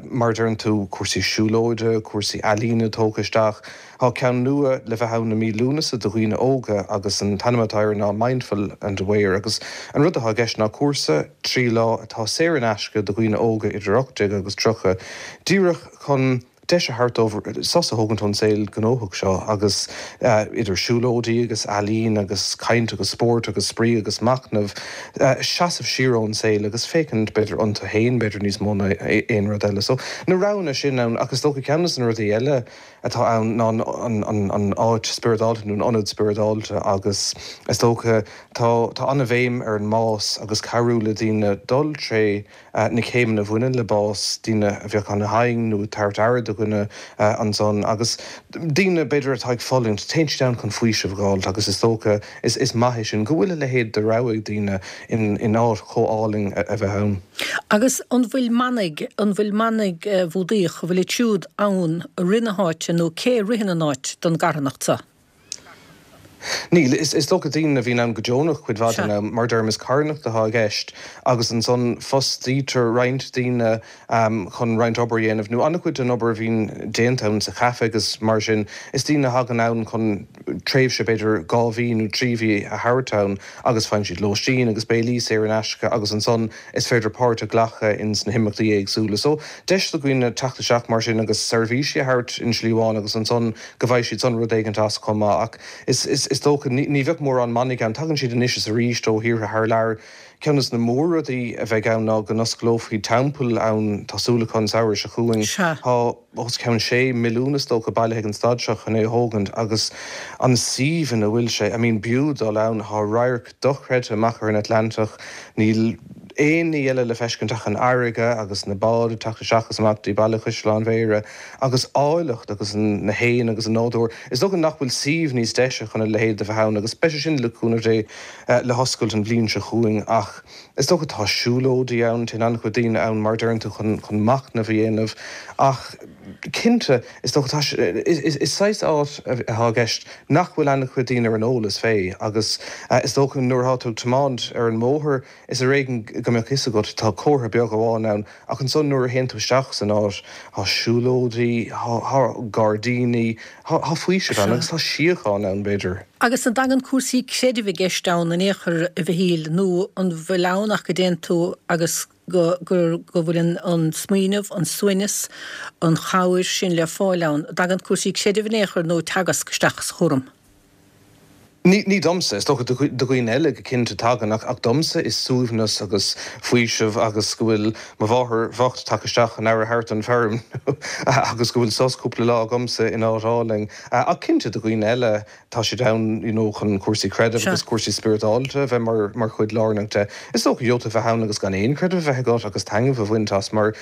S4: mar a deireann tú, cúrsaí siúlóide, cúrsaí ealaíne tógtha isteach. Tá ceann nua le bheith ann i mí Lúnasa do dhaoine óga agus an t-ainm atá air ná Mindful and Aware agus an rud atá i gceist ná cúrsa 3 lá atá saor in aisce do dhaoine óga idir 18 agus 30, díreach chun deis a thabhairt dóibh sos a thógaint ón saol gnóthach seo agus idir siúlóidí agus ealaín agus caint agus spórt agus spraoi agus machnamh, seasamh siar ón saol agus féachaint b'fhéidir iontu féin b'fhéidir níos mó ná aon rud eile. So na roghanna sin ann ach is dócha ceann de na rudaí eile atá ann ná an áit spioradálta nó an ionad spioradálta agus is dócha tá tá an-bhéim ar an mbás agus cabhrú le daoine dul tré na céimeanna a bhaineann le bás, daoine a bheadh ana-thinn nó ag tabhairt aire do dhuine ansan agus daoine b'fhéidir atá ag fulaingt, téann siad ann chun faoiseamh a dh'fháilt agus is dócha is maith é sin go bhfuil a leithéid de rogha ag daoine in áit chomh álainn a bheith ann.
S1: Agus an bhfuil manaigh, an bhfuil manaigh Bhúdaíoch, an bhfuil iad siúd ann i rith na háite nó cé a ritheann an áit don gcarthanacht seo?
S4: Níl. Is dócha daoine a bhíonn ann go deonach cuid mhaith den am, mar deirim, is carthanacht atá i gceist agus ansan fostaítear roinnt daoine chun roinnt obair a dhéanamh, nó an-chuid den obair a bhíonn déanta ann sa chaife agus mar sin, is daoine a thagann ann chun tréimhse b'fhéidir 2 mhí nó 3 mhí a thabhairt ann agus faigheann siad lóistín agus béilí saor in aisce agus ansan is féidir páirt a ghlacadh ins na himeachtaí éagsúla. So, deis do dhaoine teacht isteach mar sin agus seirbhísí a thabhairt in slí amháin agus ansan go bhfaighidh siad san rud éigint as chomh maith. Ach is, is, is dócha, ní, ní bheadh mórán manaigh ann. Tagann siad anois is arís ó thíortha thar lear. Ceann des na mór-rudaí a bheidh ann ná go n-osclófaí teampall ann, tá súil acu an samhradh seo chugainn.
S1: Sea.
S4: Tá os cionn sé milliún is dócha bailithe ag an staid seo chun é a thógaint agus an suíomh ina bhfuil sé, I mean b'fhiú dul ann, tá radharc dochreidte amach ar an Atlantach, níl aon ní eile le feiscint ach an fharraige agus na báid ag teacht isteach is amach dtí Baile Chaisleáin Bhéarra agus áilleacht agus na héin agus an nádúr. Is dócha nach bhfuil suíomh níos deise chun a leithéid de bheith ann agus beidh sé sin le cúnamh Dé le hoscailt an bhliain seo chugainn ach is dócha tá siúlóidí ann, téann an-chuid daoine ann mar a deireann tú chun chun machnamh a dhéanamh ach cinnte is dócha tá sé is saghas áit atá i gceist nach bhfuil an-chuid daoine ar an eolas fé agus is dócha nuair atá tú ag tiomáint ar an mbóthar is ar éigean go mbeadh fhios agat, tá comhartha beag amháin ann ach ansan nuair a théann tú isteach san áit tá siúlóidí, tá gairdíní, tá faoiseamh ann agus tá síocháin ann b'fhéidir.
S1: Agus an dtagann cúrsaí creidimh i gceist ann in aon chor a Mhichíl nó an bhfuil ann ach go dtéann tú agus go go bhfuil an smaoineamh, an suaimhneas, an chabhair sin le fáil ann. An dtagann cúrsaí creidimh in aon chor nó teagasc isteach sa chúram?
S4: Ní, ní domsa, is dócha do dhaoine eile go cinnte tagann, ach, ach domsa is suaimhneas agus faoiseamh agus go bhfuil mo mháthair bhocht tagtha isteach chun aire a thabhairt don bhfeirm agus go bhfuil sos cúpla lá agamsa in áit álainn. Ach cinnte do dhaoine eile tá siad ann you know chun cúrsaí creidimh agus cúrsaí spioradálta a bheith mar, mar chuid lárnach de. Is dócha gheobhaidh tú a bheith ann agus gan aon chreideamh a bheith agat agus taitneamh a bhaint as mar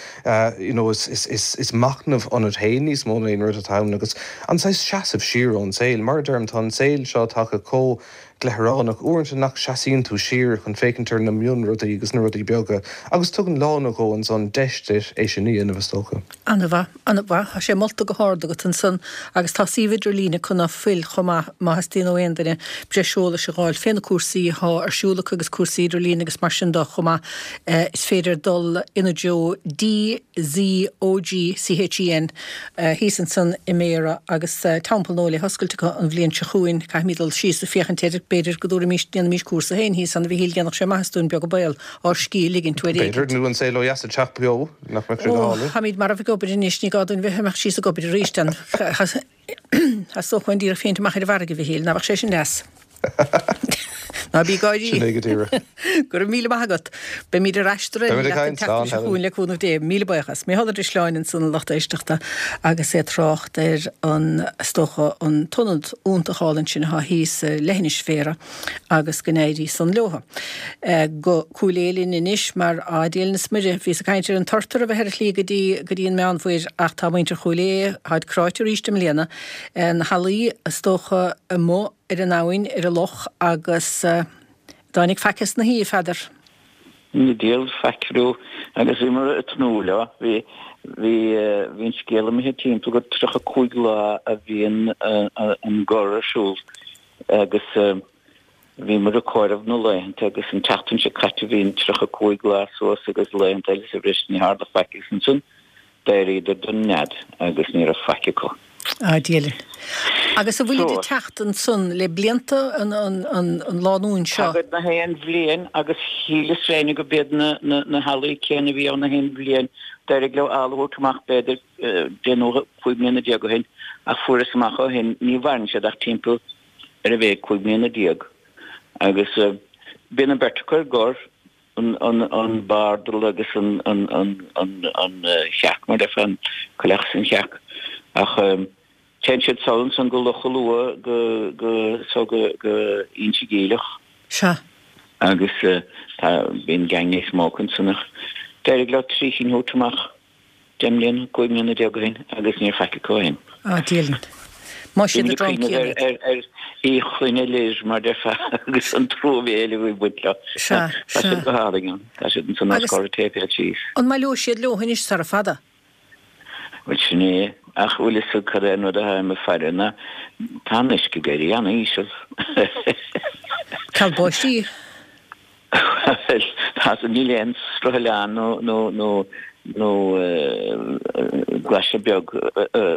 S4: you know is, is, is, is machnamh ionat féin níos mó ná aon rud atá ann agus an saghas seasamh siar ón saol. Mar a deirim, tá an saol seo tagtha chomh gleithearánach uaireanta nach seasaíonn tú siar chun féachaint ar na mionrudaí agus na rudaí beaga agus tugann lá nó dhó ansan deis duit é sin a dhéanamh, is dócha.
S1: An-mhaith, an-mhaith. Tá sé molta go hard agat ansan agus tá suíomh idirlín acu ná fuil chomh maith má theastaíonn ó aon duine breis eolais a dh'fháil fé na cúrsaí athá ar siúl acu agus cúrsaí idirlín agus mar sin de chomh maith. Is féidir dul ina dtreo DZOG CHEN thíos ansan i mBéarra agus teampall nua le hoscailt acu an bhliain seo chugainn. Caithfimid dul síos ag féachaint air. B'fhéidir go dtabharfaimis, ndéanfaimis cúrsa féin thíos ann a Mhichíl, dhéanfadh sé maitheas dúinn beag an baol, ár scíth a ligint uair
S4: éigint. B'fhéidir, nó an saol ó dheas ag teacht beo, nach mbeadh sé go
S1: hálainn. Ó, táimid marbh ag obair anois, ní gá dúinn bheith ag imeacht síos ag obair arís. Theastódh uainn díreach féachaint amach ar an bhfarraige, a Mhichíl, ná beadh sé sin deas? Ná bí ag gáirí.
S4: Sin é go díreach.
S1: Go raibh míle maith agat. Beimid ar ais
S4: Beimid ag
S1: leat an
S4: caint. Slán,
S1: tseachtain seo
S4: Helen.
S1: chugainn le cúnamh Dé. Míle buíochas. Mícheál Ó Drisleáin ansan a lucht éisteachta agus é ag trácht ar an, is dócha, an t-ionad iontach álainn sin atá thíos ar leithinis Bhéarra agus go n-éirí san leotha. Go Cúil Aodha linn anois mar a Dia linn is Muire. Bhíos ag caint ar an turtar a bheith ar a shlí go dtí go dtí an Meánmhuir ach tá muintir Chúil Aodha, táid cráite arís i mbliana. Na healaí, is dócha, amuigh ar an abhainn, ar an loch agus dtáinig faic as na haoi, a Pheadair?
S5: Ní diabhal faic leo agus bhíomar ag tnúth leo. Bhí, bhí, bhí an scéal imithe timpeall gur 35 lá a bhíonn an gor ar siúl agus bhíomar ag comhaireamh na laethanta agus an tseachtain seo caite bhí an 35 lá suas agus laethanta eile sa bhreis ní tharla faic agus ansan d'éiríodar don nead agus ní raibh faic acu.
S1: A Dhia linn. Agus an bhfuilid ag teacht ansan le blianta an lánúin seo?
S5: Tagaid na haon bhliain agus shíleas féin go b'iad na healaí céanna a bhí ann na haon bhliain. D'éirigh leo eala a thabhairt amach b'fhéidir deich nó 15 mbliana ó shin ach fuaireas amach ó shin ní mhaireann siad ach timpeall ar a mhéad 15 mbliana. Agus bíonn an bheirt acu ar gor. an bardal agus an chearc, mar a déarfá, an coileach is an chearc. Ach téann siad sall ansan go Loch an Lua go, go, so go, go Inse Geimhleach.
S1: Sea.
S5: Agus tá, bíonn gang níos mó acu ansan ach d'éirigh leo 3 chinn a thabhairt amach. 10 mbliana, 15 mbliana ó shin agus níor faic acu ó shin.
S1: A Dhia linn. Más iad
S5: Bhí
S1: a
S5: mé ag
S1: druncaí
S5: cuimhneamh
S1: iad.
S5: ar ar Uí Chloinne Lir, mar déarfá, agus an truamhéil a bhí ag baint leo.
S1: Sea,
S5: Tá
S1: sea.
S5: siad go hálainn ann. Tá siad ansan os
S1: Agus
S5: comhair an tséipéil síos.
S1: an mbaileoidh siad leo anois sara fada?
S5: Bhuel, sin é. Ach bhfuil fhios agat cad é an rud atáim ag faire ná tá an uisce ag éirí an-íseal.
S1: Ceal báistí.
S5: Bhuel, tá, níl aon sruth oileáin nó, nó, nó, nó glaise beag,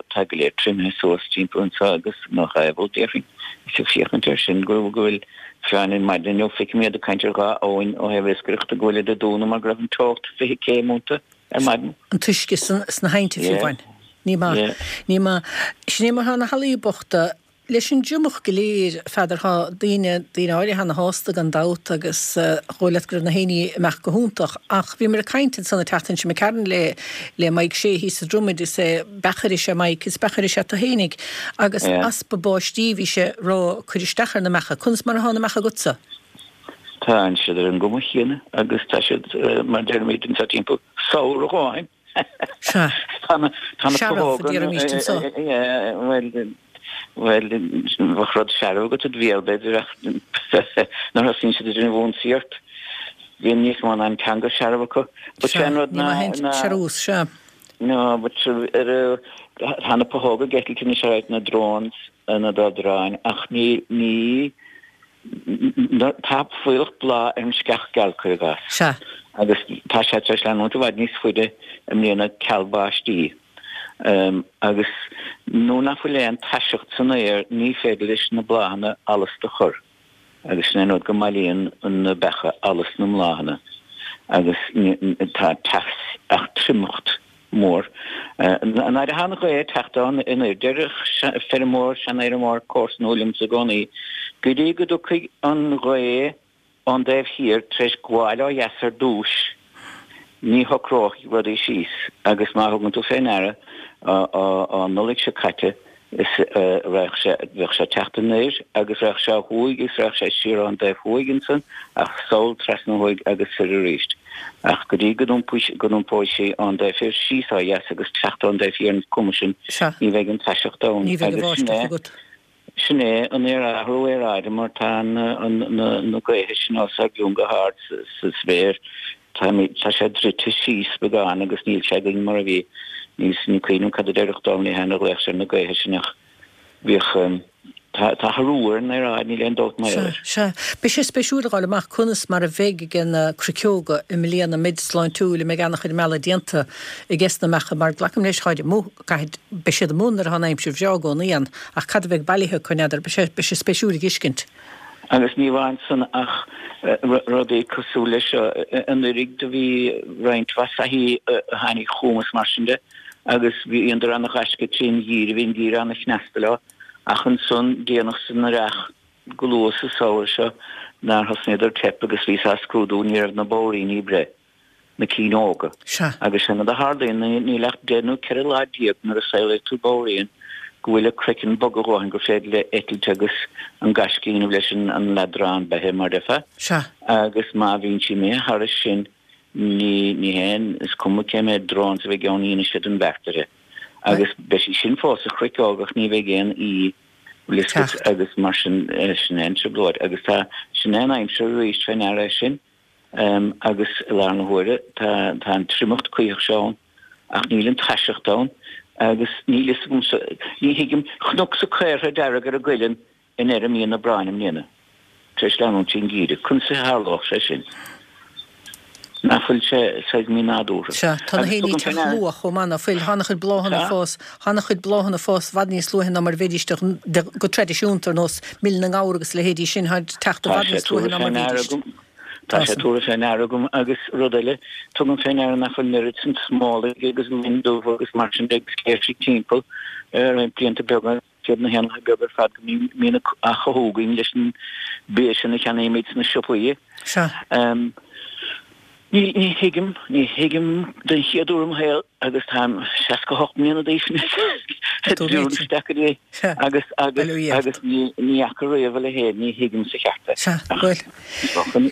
S5: tá go léir triomaithe suas timpeall anseo agus nach aoibhinn, déarfainn. Is ag féachaint air sin go bhfuil fiáin ar maidin inniu, feicim iad ag caint ar dhá abhainn ó thaobh iascaireachta go bhfuil iad ag dúnadh mar go raibh an teocht 20 céim iontu ar maidin.
S1: An t-uisce sna haibhnte fiú amháin. Ní maith. Ní maith. Sin é mar tá na healaí bochta. Leis an dtriomach go léir, a Pheadair, tá daoine, daoine áirithe ana-shásta gan dabht agus dhóigh leat go raibh na héinní ag imeacht go hiontach. Ach bhíomar ag caint ansan an tseachtain seo imigh tharainn le, le Mike Shea thíos sa Dromaid, is é beachaire is ea Mike, is beachaire is ea tú fhéinig. Agus easpa báistí bhí sé ag rá ag cur isteach ar na beacha. Conas mar atá na beacha agatsa?
S5: Tá siad ar an gcuma chéanna agus tá siad, mar deirimid anseo timpeall, sabhar a dhóthain.
S1: Sea.
S5: Tá na
S1: Searbh, a déarfaimíst anso.
S5: Bhuel, bhuel, bheadh rud searbh agat id bhéal, b'fhéidir, ach nuair a thosaíonn siad ag déanamh ionsaí ort, bíonn níos mó ná an teanga searbh acu.
S1: But sé an rud ná, ná. Searbhas, sea.
S5: No, but ar, tá na puthóga ag eitilt anois ar na drones, na dodráin, ach ní, ní, Tá fuílleach bláth ar an sceach gheal, cuir i gcás.
S1: Sea.
S5: Agus tá sé tar éis leanúint i bhfad níos faide i mbliana ceal báistí. Agus nuair nach bhfuil aon taiseacht san aer ní féidir leis na bláthanna allas do chur. Agus sin é an rud go mbailíonn na beacha allas na mbláthanna. Agus tá teas ach triomacht mór. Nuair atá an ghaoth ag teacht ann anoir, deireadh feirmeoir, seanfheirmeoir comharsanúil liomsa i gcónaí, go dtí go dtiocfaidh an ghaoth ón dtaobh thiar tar éis gabháil ó dheas ar dtúis, ní shocróidh rudaí síos agus má thugann tú fé ndeara, an Nollaig seo caite, is raghadh sé, bheadh sé ag teacht anoir agus raghadh sé ó thuaidh agus raghadh sé siar ón dtaobh thuaidh ansan ach sall trasna thuaidh agus soir arís. Ach go dtí go n-iompóidh sí ón dtaobh thoir síos ó dheas agus teacht ón dtaobh thiar an cuma sin, ní bheidh an taiseacht ann.
S1: Ní bheidh an bháisteach agat.
S5: Sin é an athrú aeráide mar tá na gaotha sin os ár gcionn go hard sa spéir. Tá sé druidte síos beagán agus níl sé againn mar a bhí. Ní cuimhin liom cad a déarfadh Domhnall Lehane a ghlaodh sé ar na gaotha sin ach bhíodh, tá athrú ar an aeráid, níl aon dabht mar
S1: Sea, sea. Beidh sé spéisiúil a dh'fháil amach conas mar a bheidh ag na cruiceoga i mbliana, an mbeid sláintiúil, an mbeidh an-chuid meala déanta ages na mbeacha mar glacaim leis, táid amuigh, caithfidh, beidh siad amuigh nuair atá an aimsir bhreá i gcónaí ann ach cad a bheidh bailithe acu, n'fheadar, beidh sé, beidh sé spéisiúil a dh'fheiscint.
S5: Agus ní amháin san ach rudaí cosúil leis seo. Anuraidh do bhí roinnt mhaith soithí a tháinig chugam is mar sin de agus bhíodar ana ghaisce trín gheimhreadh, bhí an geimhreadh ana chneasta leo ach ansan déanach san earrach go luath sa samhradh seo nár thosnaíodar teip agus bhíos á scrúdú ní raibh na bodhairíní ag breith. na cinn óga.
S1: Sea.
S5: Agus sin rud a tharlaíonn, níl ach 10 nó 14 lá nuair a saolaíonn tú bodhairín go bhfuil a craiceann bog a dhóthain gur féidir léi eitilt agus an gaisce a dhéanamh leis an leadrán beithe, mar déarfá.
S1: Sea.
S5: Agus má bhíonn sí imithe thairis sin, ní, ní haon, is cuma cé mhéad drones a bheidh ann, ní dhéanfaidh siad an bheart uirthi. Agus beidh sí sin fós sa chruiceog ach ní bheidh aon aoi bhfuil agus mar sin, sin é an trioblóid. Agus tá, sin é an aimsir arís fé ndeara é sin. Agus i láthair na huaire tá tá an triomacht cuíosach seo ann ach níl an taiseacht ann agus níl fhios agamsa, ní thuigim, chonacsa caortha dearg ar an gcuileann i ndeireadh mí an Aibreáin i mbliana, tar éis leanúint trín gheimhreadh. Conas a tharlódh sé sin? Nach bhfuil sé saghas mí-nádúrtha?
S1: Sea, tá na héinní ag teacht luath chomh maith, ná fuil? Tá an-chuid bláthanna ag fás, tá an-chuid bláthanna ag fás i bhfad níos luaithe ná mar a bheidís de, go traidisiúnta, ar nós mil na ngabhar agus a leithéidí sin, tá ag teacht i bhfad níos luaithe ná mar a bhídís.
S5: Tá sé tabhartha fé ndeara agam agus rud eile, tugaim fé ndeara nach bhfuil an oiread sin smólaigh agus loin dubh agus mar sin de agus céirsigh timpeall roinnt blianta beaga. Siad na héanlaithe beaga ar fad go mbíonn á chothú againn leis an bia sin a cheannaímid sna siopaí.
S1: Sea.
S5: Ní, ní thuigim, ní thuigim den chéad uair i mo shaol agus táim 68 mbliana d'aois anois, dúinn isteach go dtí agus, agus, agus ní, ní fhaca riamh a leithéid, ní thuigim sa cheart é.
S1: Sea, bhuel.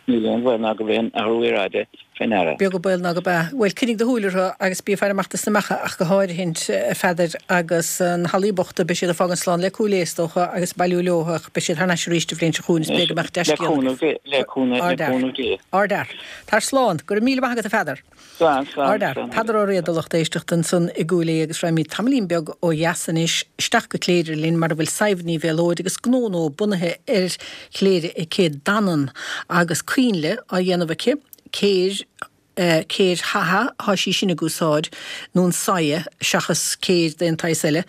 S5: Níl aon bhaol ná gurb é an athrú aeráide fé ndeara.
S1: Beag an baol ná gurb ea. Bhuel, coinnigh do shúil orthu agus bí ag faire amach dos na beacha ach go háirithint, a Pheadair, agus na healaí bochta, beidh siad ag fágaint slán le Cúil Aodha, is dócha, agus ag bailiú leo ach beidh siad thar n-ais arís an bhliain seo chugainn is b'fhéidir go mbeadh dea-scéal
S5: agaibh. Le cúnamh Dé, le cúnamh, le cúnamh Dé.
S1: Ardfhear. Tar slán. Go raibh míle maith agat a Pheadair.
S5: Slán, slán,
S1: Ardfhear.
S5: slán.
S1: Peadar Ó Riada, lucht éisteachta. éisteachta ansan i gCúil Aodha agus raghaimid tamaillín beag ó dheas anois, isteach go Cléire linn mar a bhfuil Sadhbh Ní Mhéalóid agus gnó nua bunaithe ar Chléire aici, Danann, agus coinnle á dhéanamh aici, céir, céir shaithe, thá sí sin ag úsáid, nó an saighe, seachas céir d'aon tsaghas eile,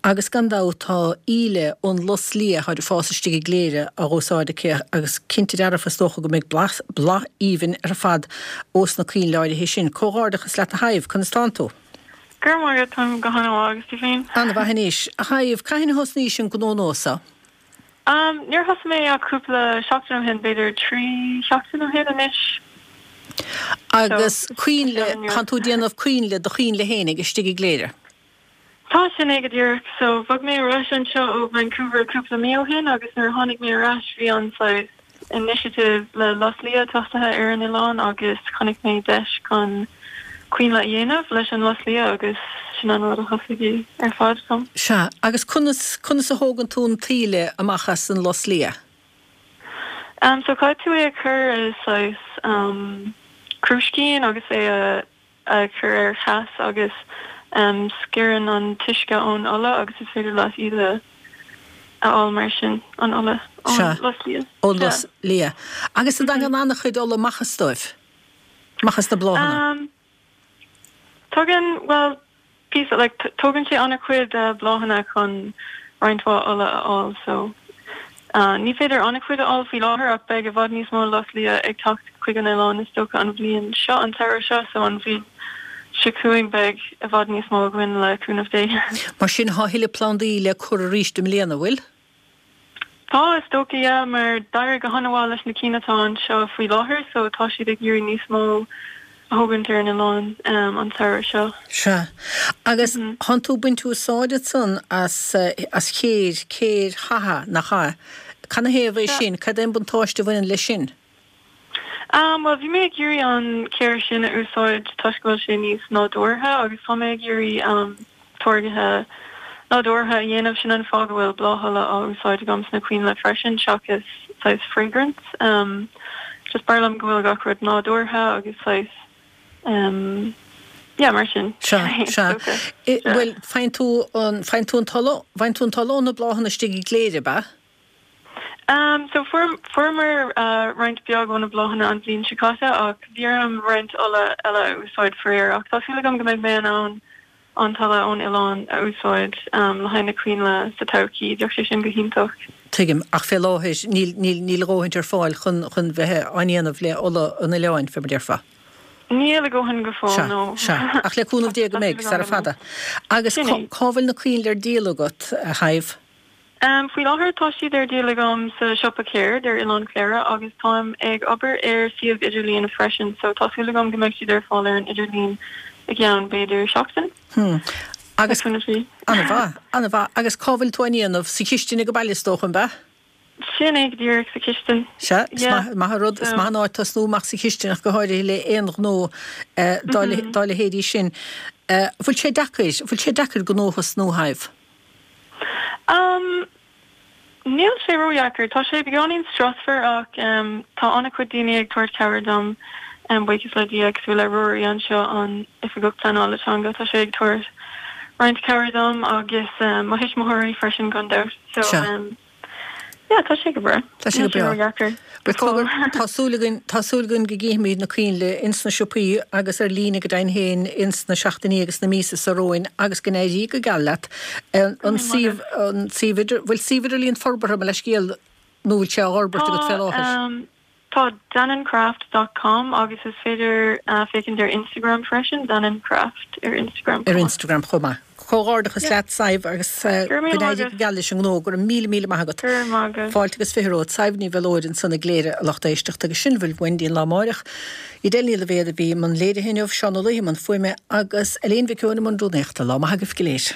S1: agus gan dabht tá íle ón lus liath atá ag fás istigh i gCléire á úsáid aici agus cinnte dearfa is dócha go mbeidh blas, boladh aoibhinn ar fad ós na coinnle áirithe sin. Comhghairdeachas leat a Shadhbh, conas tánn tú?
S6: Go raibh maith agat, táim go han-mhaith agus tú féin?
S1: An-mhaith anois. A Shadhbh, cathain a thosnaís an gnó nua so?
S6: Níor thosaigh mé ach cúpla seachtain ó shin, b'fhéidir 3 sheachtain ó shin anois.
S1: Agus coinnle, tánn tú ag déanamh coinnle do choinnle fhéinig istigh i gCléire?
S6: Tá, sin é go díreach. So, bhog mé ar ais anseo ó Vancouver cúpla mí ó shin agus nuair a tháinig mé ar ais bhí an saghas initiative le lus liath tosaithe ar an oileán agus chonaic mé deis chun coinnle a dhéanamh leis an lus liath agus sin an rud a thosaigh é ar fad dom.
S1: Sea, agus conas, conas a thógann tú an t-íle amach as an lus liath?
S6: Um so caithfidh tú é a chur i saghas um crúiscín agus é a a chur ar theas agus sciorrann an t-uisce ón ola agus is féidir leat iad a fháil mar sin, an ola ón
S1: Sea,
S6: lus liath.
S1: ón lus liath. Agus an dtagann an-chuid ola amach as dóibh? Amach as na bláthanna?
S6: Tagann, bhuel, píosa, like, tógann sé an-chuid bláthanna chun roinnt mhaith ola a fháil so ní féidir an-chuid a fháil faoi láthair ach beidh i bhfad níos mó lus liath ag teacht chuig an oileán is dócha an bhliain seo, an samhradh seo, so an bhliain seo chugainn beidh i bhfad níos mó againn le cúnamh Dé.
S1: Mar sin thá a thuilleadh plandaí le cur arís i mbliana, bhfuil?
S6: Tá, is dócha, yeah, mar d'éirigh go han-mhaith leis na cinn atá anseo faoi láthair so tá siad ag iarraidh níos mó a thógaint ar an oileán an samhradh seo.
S1: Sea. Agus thánn tú ag baint úsáid ansan as, as chéir, céir shaithe, nach ea? Canathaobh é sin? Cad é an buntáiste a bhaineann leis sin?
S6: Bhuel, bhí mé ag iarraidh an chéir sin a úsáid toisc go bhfuil sé níos nádúrtha agus tá mé ag iarraidh táirgithe nádúrtha a dhéanamh. Sin an fáth go bhfuil bláthola á úsáid agam sna coinnle freisin seachas saghas fragrance. Just b'fhearr liom go bhfuil gach rud nádúrtha agus saghas yeah, mar sin.
S1: Sea, sea. Bhuel, faigheann tú an, faigheann tú an t-ola, faigheann tú an t-ola ó na bláthanna istigh i gCléire, ab ea?
S6: So fuair, fuaireamar roinnt beag ó na bláthanna an bhliain seo caite ach bhí orm roinnt ola eile a úsáid faraor ach tá súil agam go mbeidh mé in ann an t-ola ón oileán a úsáid le haghaidh na coinnle sa todhchaí, bheadh sé sin go hiontach.
S1: Tuigim, ach fé láthair níl, níl, níl a dhóthaint ar fáil chun, chun bheith á ndéanamh le ola an oileáin, fé mar déarfá.
S6: Níl a dhóthain go fóill,
S1: Sea,
S6: no.
S1: sea. Ach le cúnamh Dé go mbeidh, sara fada. Agus
S6: Sin
S1: cá,
S6: é.
S1: cá bhfuil na coinnle ar díol agat, a Shadhbh?
S6: Faoi láthair tá siad ar díol agam sa siopa ceird ar Oileán Chléire agus táim ag obair ar suíomh idirlíon freisin so tá súil agam go mbeidh siad ar fáil ar an idirlíon i gceann b'fhéidir seachtain.
S1: Hmm. Agus, an-mhaith, an-mhaith. Agus cá bhfuil tú á ndéanamh? Sa chistin ag baile is dócha, an ea?
S6: Sin é go díreach, sa chistin.
S1: Sea, is maith, maith an rud, is maith an áit tosnú amach sa chistin ach go háirithe le aon ghnó dá leithéidí sin. Bhfuil sé deacair, bhfuil sé deacair gnó a thosnú, a Shadhbh?
S6: Umm, níl sé ródheacair. Tá sé beagáinín strusmhar ach tá an-chuid daoine ag tabhairt cabhair dom, buíochas le Dia, cosúil le Ruairí anseo, an Oifigeach Pleanála Teanga, tá sé ag tabhairt roinnt cabhair dom agus mo thuismitheoirí freisin gan dabht. So, Yeah, tá sé go breá.
S1: Tá sé go breá.
S6: Níl sé ródheacair.
S1: Bhuel, cogar, tá súil againn, tá súil againn go gcífimid na coinnle ins na siopaí agus ar líne go deimhin féin ins na seachtainí agus na míosa seo romhainn agus go n-éirí go geal leat. An suíomh, an suíomh idir, bhfuil suíomh idirlíon forbartha, mo leithscéal, nó bhfuil sé á fhorbairt agat fé láthair?
S6: Tá, Tá danancraft dot com agus is féidir féachaint ar Instagram freisin, danancraft ar Instagram
S1: chomh maith. Ar Instagram chomh maith. Comhghairdeachas leat, Sadhbh, agus go n-éirí go geal leis an ngnó. Go raibh míle míle maith agat.
S6: Go raibh maith agat.
S1: Fáilte agus 20 romhat. Sadhbh Ní Mhiolóid ansan i gCléire, a lucht éisteachta, agus sin a bhfuil uainn go dtí an lá amáireach. Edel Ní Loibhéad a bhí i mbun léirithe inniu, Seán Ó Laoithe i mbun fuaime agus Elaine Mhic Eoin i mbun rúnaíochta. Lá maith agaibh go léir.